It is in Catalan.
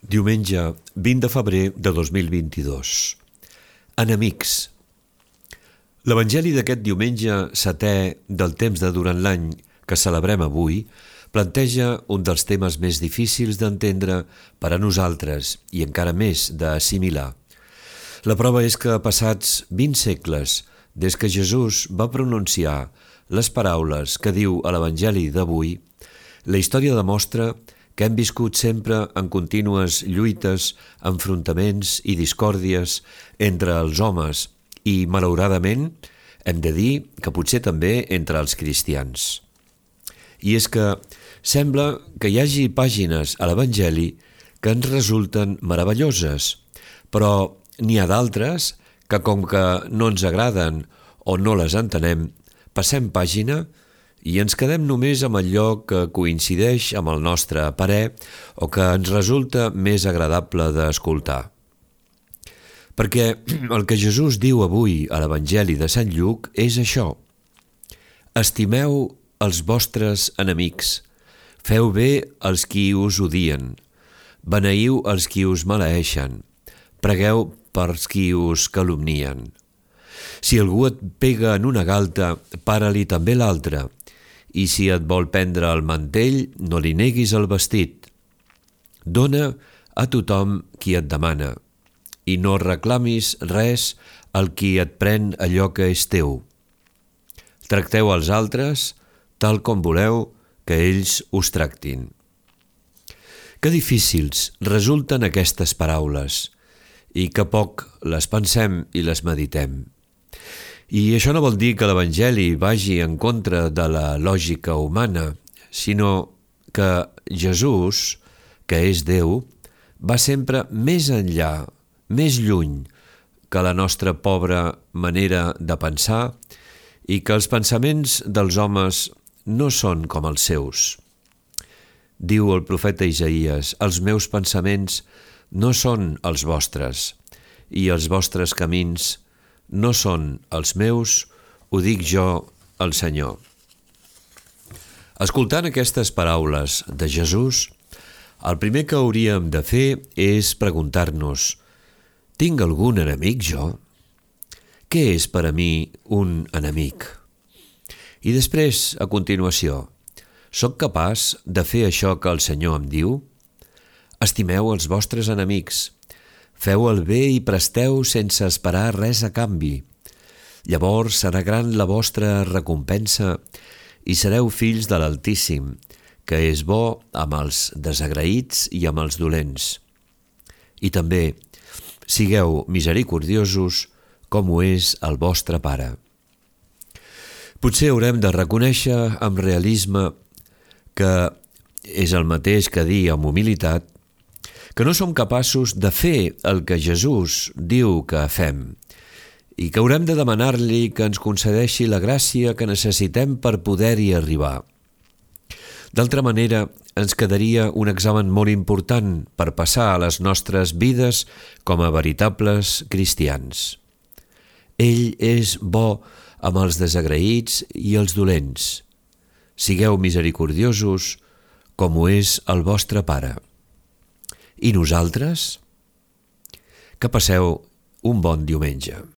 Diumenge 20 de febrer de 2022. Enemics. L'Evangeli d'aquest diumenge setè del temps de durant l'any que celebrem avui planteja un dels temes més difícils d'entendre per a nosaltres i encara més d'assimilar. La prova és que passats 20 segles des que Jesús va pronunciar les paraules que diu a l'Evangeli d'avui, la història demostra que hem viscut sempre en contínues lluites, enfrontaments i discòrdies entre els homes i, malauradament, hem de dir que potser també entre els cristians. I és que sembla que hi hagi pàgines a l'Evangeli que ens resulten meravelloses, però n'hi ha d'altres que, com que no ens agraden o no les entenem, passem pàgina i ens quedem només amb allò que coincideix amb el nostre parer o que ens resulta més agradable d'escoltar. Perquè el que Jesús diu avui a l'Evangeli de Sant Lluc és això: estimeu els vostres enemics, feu bé als qui us odien, beneïu els qui us maleeixen, pregueu pels qui us calumnien. Si algú et pega en una galta, para-li també l'altra, i si et vol prendre el mantell, no li neguis el vestit. Dóna a tothom qui et demana, i no reclamis res al qui et pren allò que és teu. Tracteu els altres tal com voleu que ells us tractin. Que difícils resulten aquestes paraules, i que poc les pensem i les meditem. I això no vol dir que l'Evangeli vagi en contra de la lògica humana, sinó que Jesús, que és Déu, va sempre més enllà, més lluny que la nostra pobra manera de pensar i que els pensaments dels homes no són com els seus. Diu el profeta Isaïes: els meus pensaments no són els vostres i els vostres camins no són els meus, ho dic jo, el Senyor. Escoltant aquestes paraules de Jesús, el primer que hauríem de fer és preguntar-nos: tinc algun enemic jo? Què és per a mi un enemic? I després, a continuació, soc capaç de fer això que el Senyor em diu? Estimeu els vostres enemics, feu el bé i presteu sense esperar res a canvi. Llavors serà gran la vostra recompensa i sereu fills de l'Altíssim, que és bo amb els desagraïts i amb els dolents. I també, sigueu misericordiosos com ho és el vostre Pare. Potser haurem de reconèixer amb realisme que és el mateix que dir amb humilitat que no som capaços de fer el que Jesús diu que fem i que haurem de demanar-li que ens concedeixi la gràcia que necessitem per poder-hi arribar. D'altra manera, ens quedaria un examen molt important per passar a les nostres vides com a veritables cristians. Ell és bo amb els desagraïts i els dolents. Sigueu misericordiosos com ho és el vostre Pare. I nosaltres? Que passeu un bon diumenge.